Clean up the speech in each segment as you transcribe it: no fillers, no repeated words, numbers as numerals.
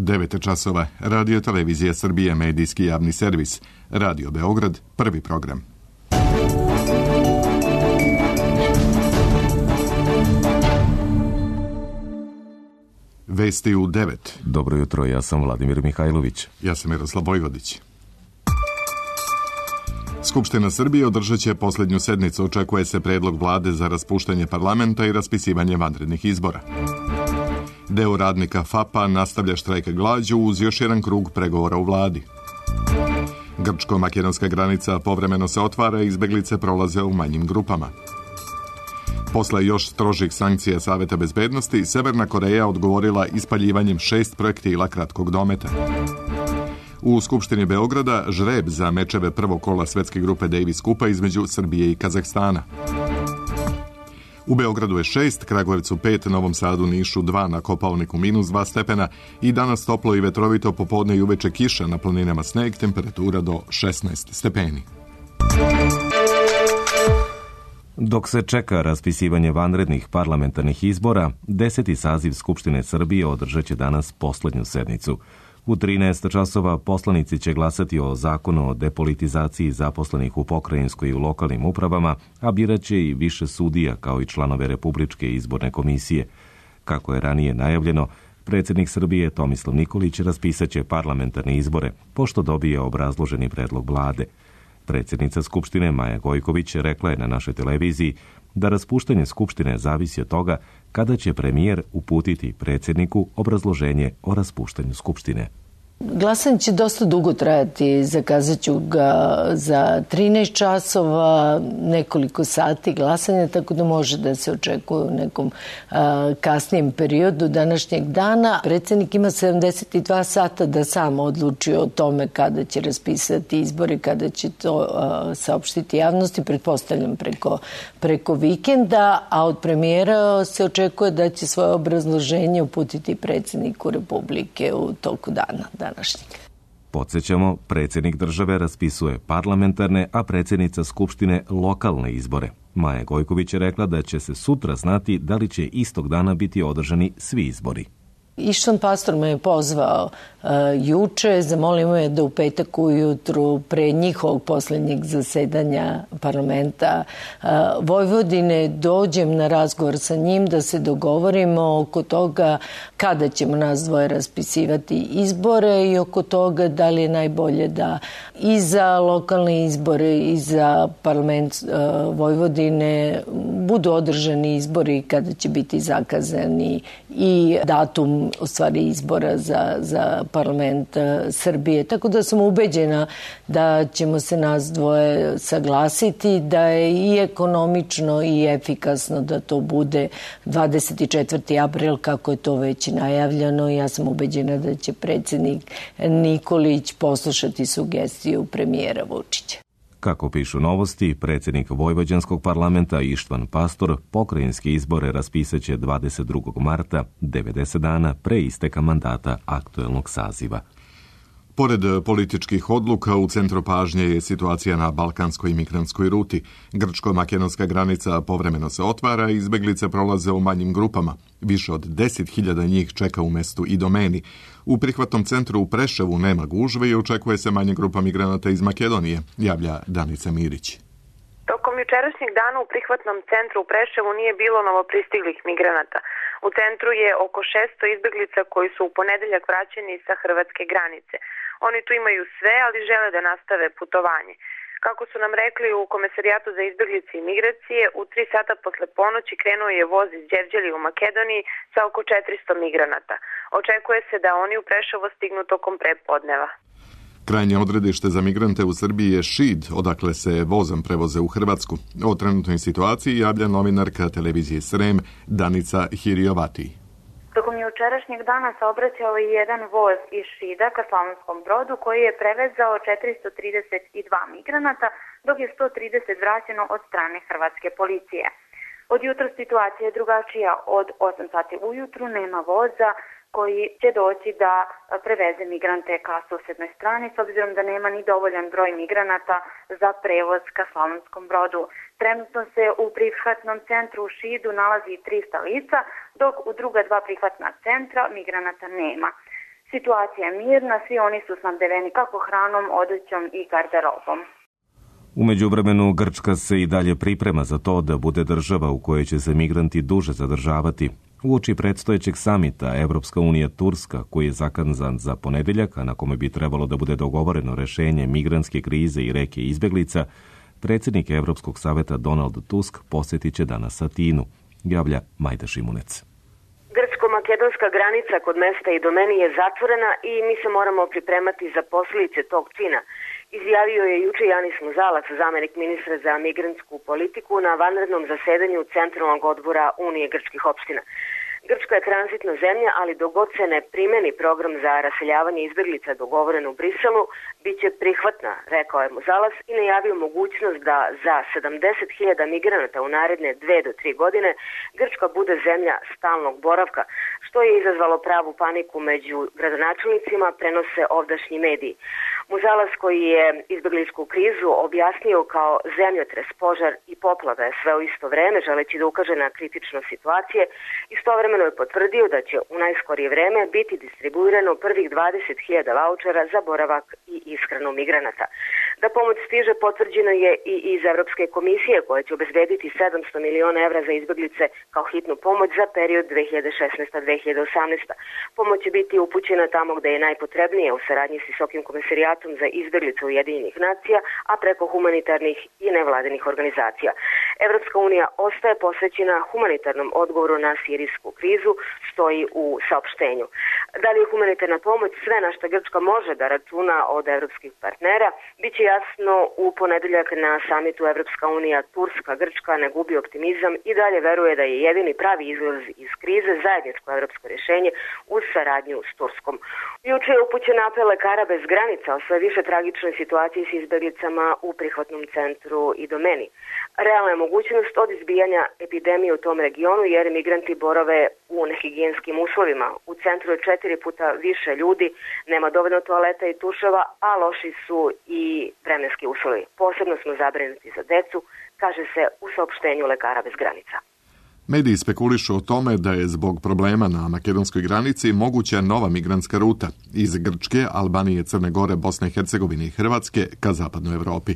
9 časova, Radio Televizija Srbije, medijski javni servis, Radio Beograd, prvi program. Vesti u 9. Dobro jutro, ja sam Vladimir Mihajlović. Ja sam Miroslav Vojvodić. Skupština Srbije održat će posljednju sednicu. Očekuje se predlog vlade za raspuštanje parlamenta i raspisivanje vanrednih izbora. Deo radnika FAP-a nastavlja štrajk glađu uz još jedan krug pregovora u vladi. Grčko-makedonska granica povremeno se otvara i izbeglice prolaze u manjim grupama. Posle još strožih sankcija Saveta bezbednosti, Severna Koreja odgovorila ispaljivanjem 6 projektila kratkog dometa. U Skupštini Beograda žreb za mečeve prvog kola svetske grupe Davis Kupa između Srbije i Kazahstana. U Beogradu je 6, Kragujevcu 5, Novom Sadu, Nišu 2, na Kopaoniku -2 stepena i danas toplo i vetrovito, popodne i uveče kiša, na planinama sneg, temperatura do 16 stepeni. Dok se čeka raspisivanje vanrednih parlamentarnih izbora, 10. saziv Skupštine Srbije održat će danas poslednju sednicu. U 13 časova poslanici će glasati o zakonu o depolitizaciji zaposlenih u pokrajinskoj i u lokalnim upravama, a birat će i više sudija kao i članove Republičke izborne komisije. Kako je ranije najavljeno, predsjednik Srbije Tomislav Nikolić raspisaće parlamentarne izbore, pošto dobije obrazloženi predlog vlade. Predsjednica Skupštine Maja Gojković rekla je na našoj televiziji da raspuštanje Skupštine zavisi od toga kada će premijer uputiti predsjedniku obrazloženje o raspuštanju Skupštine. Glasanje će dosta dugo trajati, zakazat ću ga za 13 časova, nekoliko sati glasanja, tako da može da se očekuje u nekom kasnijem periodu današnjeg dana. Predsjednik ima 72 sata da sam odluči o tome kada će raspisati izbore, kada će to saopštiti javnosti, pretpostavljam preko vikenda, a od premijera se očekuje da će svoje obrazloženje uputiti predsjedniku Republike u toku dana. Podsjećamo, predsjednik države raspisuje parlamentarne, a predsjednica Skupštine lokalne izbore. Maja Gojković je rekla da će se sutra znati da li će istog dana biti održani svi izbori. Ištván Pastor me je pozvao juče, zamolio me da u petak ujutru pre njihovog posljednjeg zasedanja parlamenta Vojvodine dođem na razgovor sa njim da se dogovorimo oko toga kada ćemo nas dvoje raspisivati izbore i oko toga da li je najbolje da i za lokalne izbore i za parlament Vojvodine budu održani izbori kada će biti zakazani i datum u stvari izbora za parlament Srbije. Tako da sam ubeđena da ćemo se nas dvoje saglasiti, da je i ekonomično i efikasno da to bude 24. april kako je to već najavljeno. Ja sam ubeđena da će predsjednik Nikolić poslušati sugestiju premijera Vučića. Kako pišu Novosti, predsjednik Vojvođanskog parlamenta Ištván Pastor pokrajinske izbore raspisaće 22. marta, 90 dana pre isteka mandata aktuelnog saziva. Pored političkih odluka, u centru pažnje je situacija na balkanskoj migrantskoj ruti. Grčko-makedonska granica povremeno se otvara i izbeglice prolaze u manjim grupama. Više od 10.000 njih čeka u mestu Idomeni. U prihvatnom centru u Preševu nema gužve i očekuje se manja grupa migranata iz Makedonije, javlja Danica Mirić. Tokom jučerašnjeg dana u prihvatnom centru u Preševu nije bilo novopristiglih migranata. U centru je oko 600 izbeglica koji su u ponedeljak vraćeni sa hrvatske granice. Oni tu imaju sve, ali žele da nastave putovanje. Kako su nam rekli u Komesarijatu za izbeglice i migracije, u 3 sata posle ponoći krenuo je voz iz Đevđelja u Makedoniji sa oko 400 migranata. Očekuje se da oni u Preševo stignu tokom prepodneva. Krajnje odredište za migrante u Srbiji je Šid, odakle se vozom prevoze u Hrvatsku. O trenutnoj situaciji javlja novinarka televizije Srem Danica Hiriovati. Tokom jučerašnjeg dana saobraćao je jedan voz iz Šida ka Slavonskom Brodu koji je prevezao 432 migranata, dok je 130 vraćeno od strane hrvatske policije. Od jutra situacija je drugačija. Od 8 sati ujutru nema voza koji će doći da preveze migrante ka susjednoj strani, s obzirom da nema ni dovoljan broj migranata za prevoz ka Slavonskom Brodu. Trenutno se u prihvatnom centru u Šidu nalazi 300 lica, dok u druga 2 prihvatna centra migranata nema. Situacija je mirna, svi oni su snabdeveni kako hranom, odećom i garderobom. U međuvremenu Grčka se i dalje priprema za to da bude država u kojoj će se migranti duže zadržavati. Uoči predstojećeg samita Evropska unija Turska, koji je zakazan za ponedeljak, a na kome bi trebalo da bude dogovoreno rešenje migrantske krize i reke izbeglica, predsjednik Evropskog saveta Donald Tusk posjetit će danas Atinu, javlja Majda Šimunec. Grčko-makedonska granica kod mesta Idomeni je zatvorena i mi se moramo pripremati za posljedice tog čina. Izjavio je juče Janis Muzalac, zamenik ministra za migrantsku politiku, na vanrednom zasedanju Centralnog odbora Unije grčkih opština. Grčka je tranzitna zemlja, ali dok god se ne primeni program za raseljavanje izbeglica dogovoren u Briselu, bit će prihvatna, rekao je Muzalac i najavio mogućnost da za 70.000 migranata u naredne 2 do 3 godine Grčka bude zemlja stalnog boravka, što je izazvalo pravu paniku među gradonačelnicima, prenose ovdašnji mediji. Muzalac, koji je izbegličku krizu objasnio kao zemljotres, požar i poplave sve u isto vreme, želeći da ukaže na kritičnost situacije, istovremeno je potvrdio da će u najskorije vreme biti distribuirano prvih 20.000 vaučera za boravak i ishranu migranata. Da pomoć stiže potvrđeno je i iz Evropske komisije, koja će obezbediti 700 miliona evra za izbeglice kao hitnu pomoć za period 2016-2018. Pomoć će biti upućena tamo gde je najpotrebnije u saradnji s Visokim komesarijatom za izbeglice Ujedinjenih nacija, a preko humanitarnih i nevladinih organizacija. Evropska unija ostaje posvećena humanitarnom odgovoru na sirijsku krizu, stoji u saopštenju. Da li je humanitarna pomoć sve na što Grčka može da računa od evropskih partnera, bit će jasno u ponedeljak na samitu Evropska unija Turska. Grčka ne gubi optimizam i dalje veruje da je jedini pravi izlaz iz krize zajedničko evropsko rješenje uz saradnju s Turskom. Juče je upućen apel lekara bez granica o sve više tragičnoj situaciji s izbeglicama u prihvatnom centru Idomeni. Realna je mogućnost od izbijanja epidemije u tom regionu jer migranti borave u nehigijenskim uslovima. U centru je 4 puta više ljudi, nema dovoljno toaleta i tuševa, a loši su i vremenski uslovi. Posebno smo zabrinuti za decu, kaže se u saopštenju lekara bez granica. Mediji spekulišu o tome da je zbog problema na makedonskoj granici moguća nova migrantska ruta iz Grčke, Albanije, Crne Gore, Bosne i Hercegovine i Hrvatske ka zapadnoj Evropi.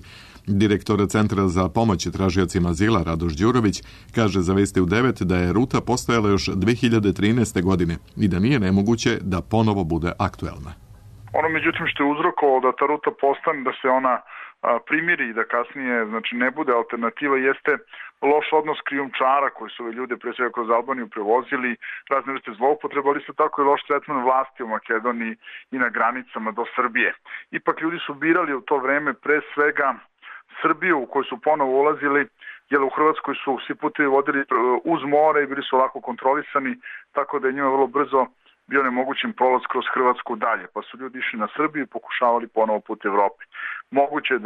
Direktor Centra za pomoć tražiocima azila Radoš Đurović kaže za Vesti u 9 da je ruta postojala još 2013. godine i da nije nemoguće da ponovo bude aktuelna. Ono međutim što je uzrokovalo da ta ruta postane, da se ona primiri i da kasnije ne bude alternativa, jeste loš odnos krijumčara koji su ove ljude pre svega kroz Albaniju prevozili, razne vrste zloupotreba, ali isto tako i loš tretman vlasti u Makedoniji i na granicama do Srbije. Ipak ljudi su birali u to vreme pre svega Srbiju u koju su ponovo ulazili, jer u Hrvatskoj su svi putevi vodili uz more i bili su lako kontrolisani, tako da je njima vrlo brzo bio nemogućen prolaz kroz Hrvatsku dalje, pa su ljudi išli na Srbiju i pokušavali ponovo put Evropi. Moguće je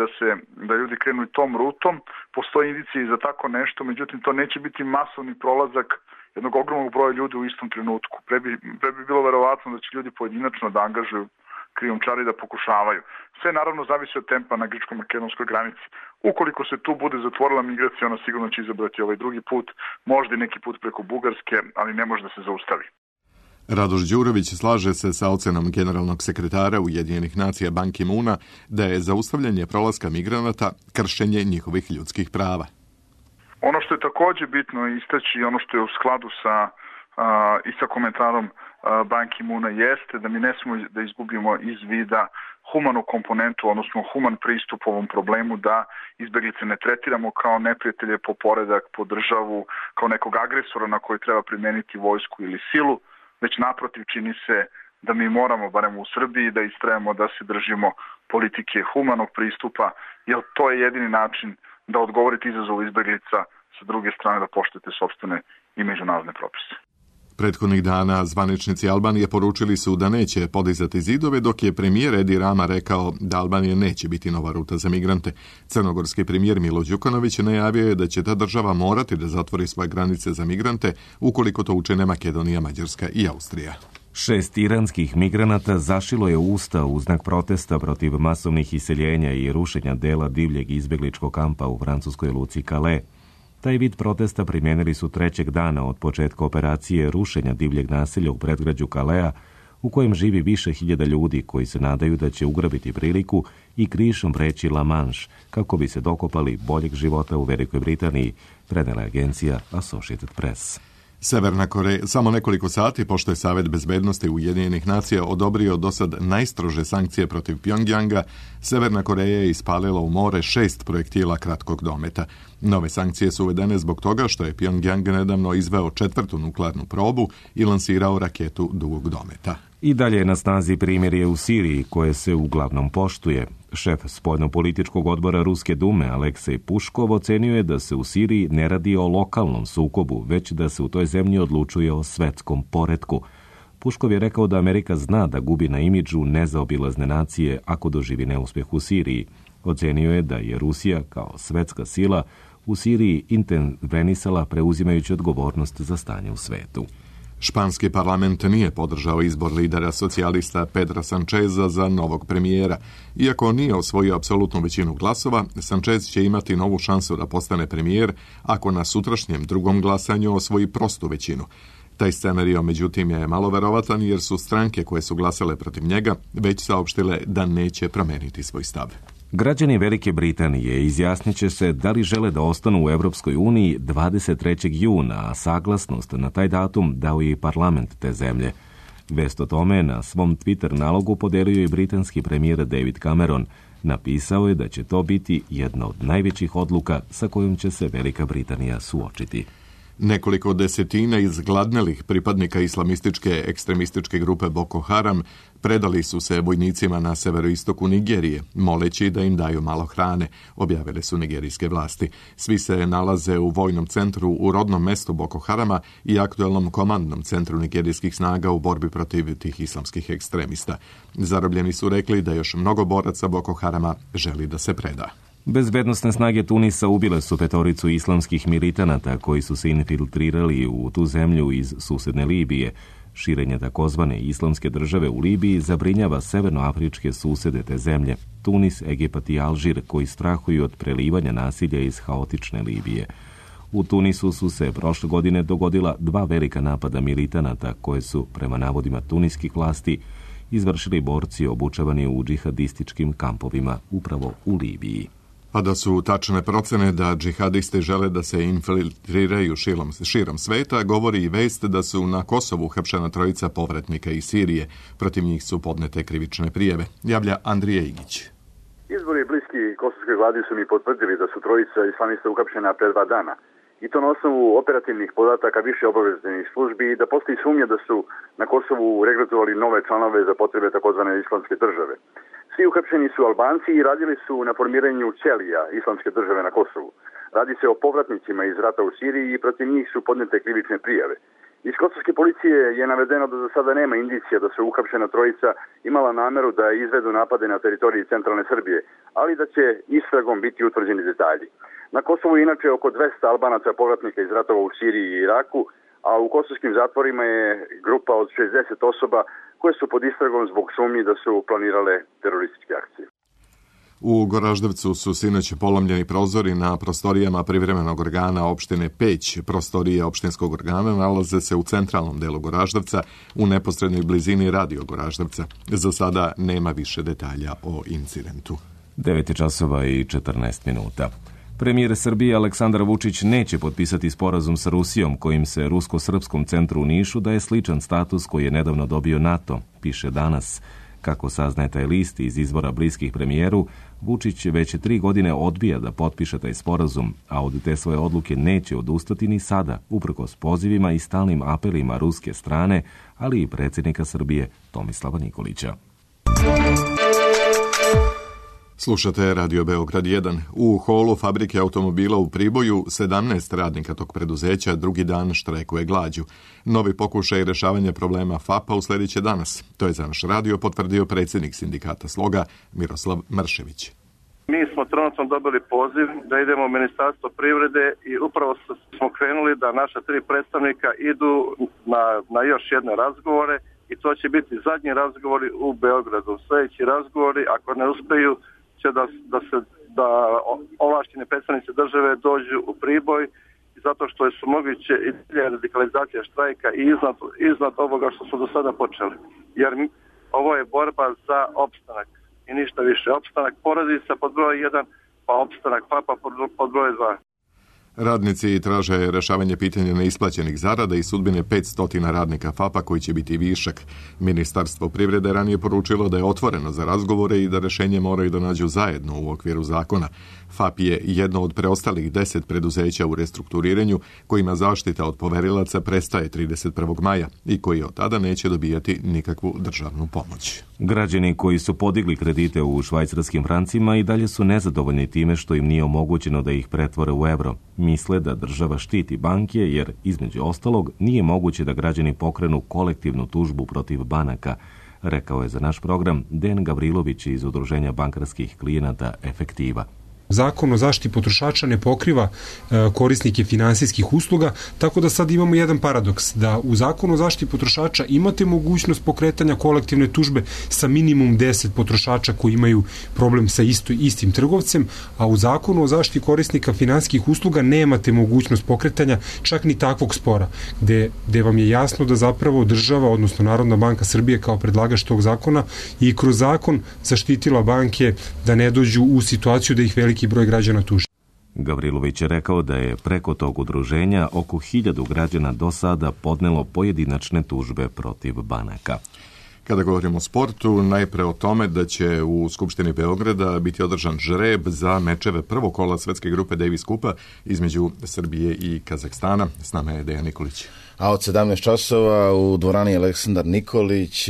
da ljudi krenu i tom rutom, postoji indicije za tako nešto, međutim to neće biti masovni prolazak jednog ogromnog broja ljudi u istom trenutku. Pre bi bilo verovatno da će ljudi pojedinačno da angažuju krijumčari da pokušavaju. Sve naravno zavisi od tempa na grčko-makedonskoj granici. Ukoliko se tu bude zatvorila migracija, ona sigurno će izabrati ovaj drugi put, možda i neki put preko Bugarske, ali ne može da se zaustavi. Radoš Đurović slaže se sa ocenom generalnog sekretara Ujedinjenih nacija Ban Ki-moona da je zaustavljanje prolaska migranata kršenje njihovih ljudskih prava. Ono što je također bitno istaći, ono što je u skladu sa komentarom Ban Ki-moona jeste da mi ne smemo da izgubimo iz vida humanu komponentu, odnosno human pristup ovom problemu, da izbeglice ne tretiramo kao neprijatelje po poredak, po državu, kao nekog agresora na koji treba primeniti vojsku ili silu, već naprotiv čini se da mi moramo, barem u Srbiji, da istrajemo da se držimo politike humanog pristupa, jer to je jedini način da odgovorite izazovu izbeglica, sa druge strane da poštujete sopstvene i međunarodne propise. Prethodnih dana zvaničnici Albanije poručili su da neće podizati zidove, dok je premijer Edi Rama rekao da Albanija neće biti nova ruta za migrante. Crnogorski premijer Milo Đukanović najavio je da će ta država morati da zatvori svoje granice za migrante ukoliko to učine Makedonija, Mađarska i Austrija. 6 iranskih migranata zašilo je usta u znak protesta protiv masovnih iseljenja i rušenja dela divljeg izbegličkog kampa u francuskoj luci Calais. Taj vid protesta primijenili su 3. dana od početka operacije rušenja divljeg naselja u predgrađu Calais u kojem živi više hiljada ljudi koji se nadaju da će ugrabiti priliku i krišom preći La Manche kako bi se dokopali boljeg života u Velikoj Britaniji, prenela agencija Associated Press. Severna Koreja, samo nekoliko sati pošto je Savet bezbednosti Ujedinjenih nacija odobrio do sad najstrože sankcije protiv Pjongjanga, Severna Koreja je ispalila u more 6 projektila kratkog dometa. Nove sankcije su uvedene zbog toga što je Pjongjang nedavno izveo 4. nuklearnu probu i lansirao raketu dugog dometa. I dalje je na snazi primirje u Siriji, koje se uglavnom poštuje. Šef spoljnopolitičkog odbora Ruske dume Aleksej Puškov ocenio je da se u Siriji ne radi o lokalnom sukobu, već da se u toj zemlji odlučuje o svetskom poretku. Puškov je rekao da Amerika zna da gubi na imidžu nezaobilazne nacije ako doživi neuspjeh u Siriji. Ocenio je da je Rusija kao svetska sila u Siriji intervenisala preuzimajući odgovornost za stanje u svetu. Španski parlament nije podržao izbor lidera socijalista Pedra Sancheza za novog premijera. Iako nije osvojio apsolutnu većinu glasova, Sanchez će imati novu šansu da postane premijer ako na sutrašnjem drugom glasanju osvoji prostu većinu. Taj scenario, međutim, je malo verovatan jer su stranke koje su glasale protiv njega već saopštile da neće promeniti svoj stav. Građani Velike Britanije izjasnit će se da li žele da ostanu u Europskoj uniji 23. juna, a saglasnost na taj datum dao je i parlament te zemlje. Vest o tome na svom Twitter nalogu podelio i britanski premijer David Cameron. Napisao je da će to biti jedna od najvećih odluka sa kojom će se Velika Britanija suočiti. Nekoliko desetina izgladnelih pripadnika islamističke ekstremističke grupe Boko Haram predali su se vojnicima na severoistoku Nigerije, moleći da im daju malo hrane, objavile su nigerijske vlasti. Svi se nalaze u vojnom centru u rodnom mestu Boko Harama i aktuelnom komandnom centru nigerijskih snaga u borbi protiv tih islamskih ekstremista. Zarobljeni su rekli da još mnogo boraca Boko Harama želi da se preda. Bezbednosne snage Tunisa ubile su 5 islamskih militanata koji su se infiltrirali u tu zemlju iz susedne Libije. Širenje takozvane islamske države u Libiji zabrinjava severnoafričke susede te zemlje, Tunis, Egipat i Alžir, koji strahuju od prelivanja nasilja iz haotične Libije. U Tunisu su se prošle godine dogodila 2 velika napada militanata koje su, prema navodima tuniskih vlasti, izvršili borci obučavani u džihadističkim kampovima upravo u Libiji. A da su tačne procene da džihadisti žele da se infiltriraju širom sveta, govori i vest da su na Kosovu uhapšena 3 povratnika iz Sirije. Protiv njih su podnete krivične prijave. Javlja Andrija Igić. Izbori bliski kosovskoj vladi su mi potvrdili da su 3 islamista uhapšena pre 2 dana. I to na osnovu operativnih podataka više obaveštajnih službi i da postoji sumnja da su na Kosovu regrutovali nove članove za potrebe takozvane islamske države. Svi uhapšeni su Albanci i radili su na formiranju ćelija islamske države na Kosovu. Radi se o povratnicima iz rata u Siriji i protiv njih su podnete krivične prijave. Iz kosovske policije je navedeno da za sada nema indicija da su uhapšena 3 imala nameru da izvedu napade na teritoriji centralne Srbije, ali da će istragom biti utvrđeni detalji. Na Kosovu je inače oko 200 Albanaca povratnika iz ratova u Siriji i Iraku, a u kosovskim zatvorima je grupa od 60 osoba koje su pod istragom zbog sumnji da su planirale terorističke akcije. U Goraždevcu su sinoć polomljeni prozori na prostorijama privremenog organa opštine Peć. Prostorije opštinskog organa nalaze se u centralnom delu Goraždevca, u neposrednoj blizini radio Goraždevca. Za sada nema više detalja o incidentu. 9:14. Premijer Srbije Aleksandar Vučić neće potpisati sporazum sa Rusijom kojim se Rusko-srpskom centru u Nišu daje sličan status koji je nedavno dobio NATO, piše Danas. Kako saznaje taj list iz izvora bliskih premijeru, Vučić već 3 godine odbija da potpiše taj sporazum, a od te svoje odluke neće odustati ni sada, uprkos pozivima i stalnim apelima ruske strane, ali i predsjednika Srbije Tomislava Nikolića. Slušate Radio Beograd 1. U holu fabrike automobila u Priboju 17 radnika tog preduzeća drugi dan štrajkuje glađu. Novi pokušaj rešavanja problema FAP-a usledit će danas. To je za naš radio potvrdio predsjednik sindikata Sloga Miroslav Mršević. Mi smo trenutno dobili poziv da idemo u Ministarstvo privrede i upravo smo krenuli da naša 3 predstavnika idu na još jedne razgovore i to će biti zadnji razgovori u Beogradu. Sljedeći razgovori, ako ne uspeju, će da ovlaštene predstavnice države dođu u Priboj, zato što su moguće i radikalizacija štrajka i iznad ovoga što smo do sada počeli. jer ovo je borba za opstanak i ništa više. Opstanak porodica pod broj 1, pa opstanak FAP-a pod broj 2. Radnici traže rešavanje pitanja neisplaćenih zarada i sudbine 500 radnika FAP-a koji će biti višak. Ministarstvo privrede ranije poručilo da je otvoreno za razgovore i da rešenje moraju da nađu zajedno u okviru zakona. FAP je jedno od preostalih 10 preduzeća u restrukturiranju kojima zaštita od poverilaca prestaje 31. maja i koji od tada neće dobijati nikakvu državnu pomoć. Građani koji su podigli kredite u švajcarskim francima i dalje su nezadovoljni time što im nije omogućeno da ih pretvore u evro. Misle da država štiti banke jer, između ostalog, nije moguće da građani pokrenu kolektivnu tužbu protiv banaka, rekao je za naš program Dejan Gavrilović iz Udruženja bankarskih klijenata Efektiva. Zakon o zaštiti potrošača ne pokriva korisnike finansijskih usluga, tako da sad imamo jedan paradoks, da u Zakonu o zaštiti potrošača imate mogućnost pokretanja kolektivne tužbe sa minimum 10 potrošača koji imaju problem sa istim trgovcem, a u Zakonu o zaštiti korisnika finansijskih usluga nemate mogućnost pokretanja čak ni takvog spora, gde vam je jasno da zapravo država, odnosno Narodna banka Srbije kao predlagač tog zakona i kroz zakon zaštitila banke da ne dođu u situaciju da ih veliki broj građana tuži. Gavrilović je rekao da je preko tog udruženja oko 1000 građana do sada podnelo pojedinačne tužbe protiv banaka. Kada govorimo o sportu, najpre o tome da će u Skupštini Beograda biti održan žreb za mečeve prvog kola svetske grupe Davis Kupa između Srbije i Kazahstana. S nama je Dejan Nikolić. A od 17 časova u dvorani Aleksandar Nikolić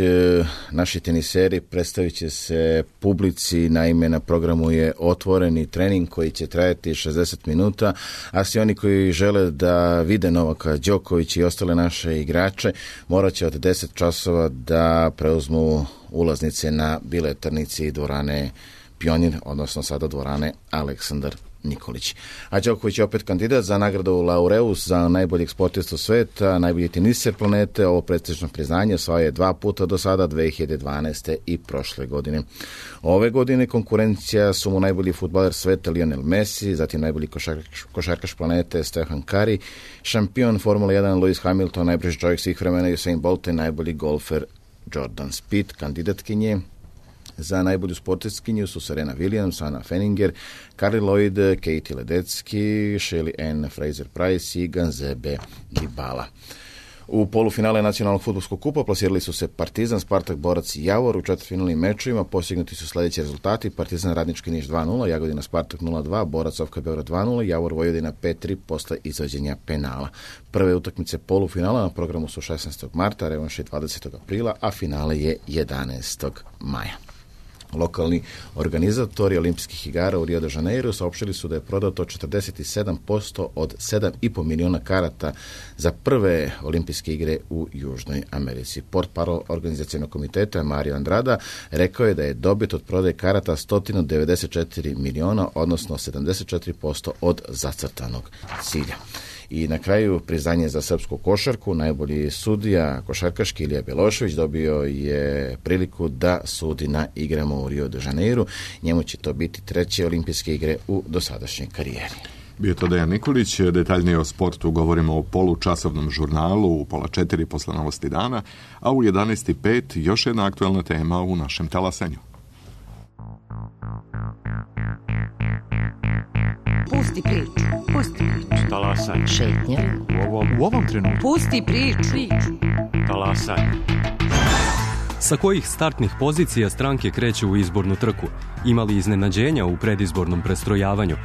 naši teniseri predstavit će se publici. Naime, na programu je otvoreni trening koji će trajati 60 minuta, a svi oni koji žele da vide Novaka Đokovića i ostale naše igrače morat će od 10 časova da preuzmu ulaznice na biletarnici dvorane Pionir, odnosno sada dvorane Aleksandar Nikolić. A Đoković je opet kandidat za nagradu Laureus za najboljeg sportistu sveta, najbolji teniser planete. Ovo prestižno priznanje osvajao je 2 puta do sada, 2012. i prošle godine. Ove godine konkurencija su mu najbolji fudbaler sveta Lionel Messi, zatim najbolji košarkaš planete Stephen Curry, šampion Formule 1 Lewis Hamilton, najbrži čovjek svih vremena Usain Bolt i najbolji golfer Jordan Spieth. Kandidatkinje za najbolju sportistkinju su Serena Williams, Anna Fenninger, Carly Lloyd, Katie Ledecky, Shelly Ann Fraser-Price i Ganzebe Dybala. U polufinale nacionalnog fudbalskog kupa plasirali su se Partizan, Spartak, Borac i Javor. U četvrtfinalnim mečevima postignuti su sljedeći rezultati: Partizan Radnički Niš 2-0, Jagodina Spartak 0-2, Borac Ofka Beograd 2-0, Javor Vojvodina 5-3 posle izvođenja penala. Prve utakmice polufinala na programu su 16. marta, revanš je 20. aprila, a finale je 11. maja. Lokalni organizatori olimpijskih igara u Rio de Janeiro saopštili su da je prodato 47% od 7,5 miliona karata za prve olimpijske igre u Južnoj Americi. Portparol organizacionog komiteta Mario Andrada rekao je da je dobit od prodaje karata 194 miliona, odnosno 74% od zacrtanog cilja. I na kraju priznanje za srpsku košarku. Najbolji sudija košarkaški Ilija Belošević dobio je priliku da sudi na igrama u Rio de Janeiro. Njemu će to biti 3. olimpijske igre u dosadašnjoj karijeri. Bio to Dejan Nikolić. Detaljnije o sportu govorimo o polučasovnom žurnalu u 3:30 posle novosti dana, a u 11:05 još jedna aktualna tema u našem talasanju. Pusti priču. Talasanje. Šetnja. U ovom trenutku. Pusti priču. Talasanje. Sa kojih startnih pozicija stranke kreću u izbornu trku? Ima li iznenađenja u predizbornom prestrojavanju?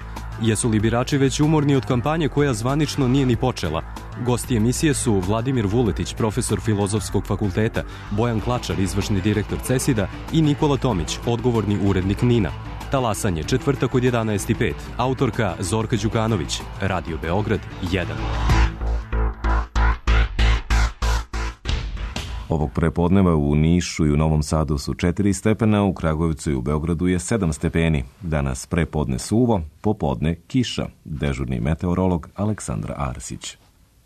Jesu li birači već umorni od kampanje koja zvanično nije ni počela? Gosti emisije su Vladimir Vuletić, profesor Filozofskog fakulteta, Bojan Klačar, izvršni direktor CESID-a i Nikola Tomić, odgovorni urednik NIN-a. Talasanje, četvrtak od 11:05. Autorka Zorka Đukanović. Radio Beograd 1. Ovog prepodneva u Nišu i u Novom Sadu su 4 stepena, u Kragujevcu i u Beogradu je 7 stepeni. Danas prepodne suvo, popodne kiša. Dežurni meteorolog Aleksandra Arsić.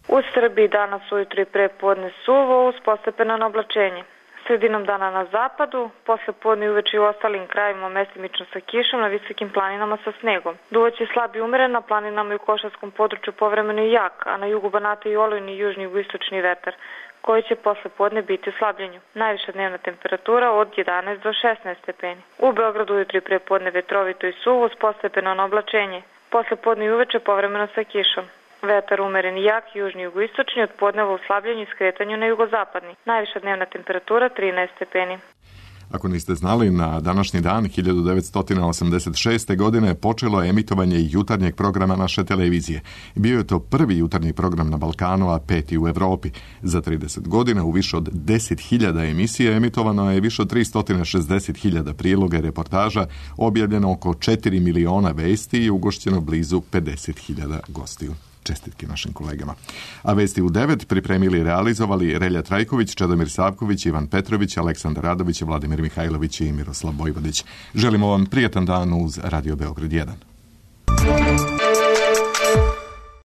U Srbiji danas ujutro i prepodne suvo uz postepeno oblačenje. Sredinom dana na zapadu, posle podne i uveče u ostalim krajevima mestimično sa kišom, na visokim planinama sa snegom. Duvaće slab i umeren, na planinama i u Košarskom području povremeno i jak, a na jugu Banata i olujni južni i istočni vetar. koji će posle podne biti u slabljenju. Najviša dnevna temperatura od 11 do 16 stepeni. U Beogradu ujutro i pre podne vetrovito i suvo uz postepeno oblačenje. Posle podne i uveče povremeno sa kišom. Vetar umeren i jak, južni i jugoistočni, od podneva u slabljenju i skretanju na jugozapadni. Najviša dnevna temperatura 13 stepeni. Ako niste znali, na današnji dan 1986. godine počelo je emitovanje jutarnjeg programa naše televizije. Bio je to prvi jutarnji program na Balkanu, a peti u Evropi. Za 30 godina u više od 10.000 emisija emitovano je više od 360.000 priloga i reportaža, objavljeno oko 4 miliona vesti i ugošćeno blizu 50.000 gostiju. Čestitke našim kolegama. A vesti u 9 pripremili i realizovali Relja Trajković, Čedomir Savković, Ivan Petrović, Aleksandar Radović, Vladimir Mihajlović i Miroslav Vojvodić. Želimo vam prijatan dan uz Radio Beograd 1.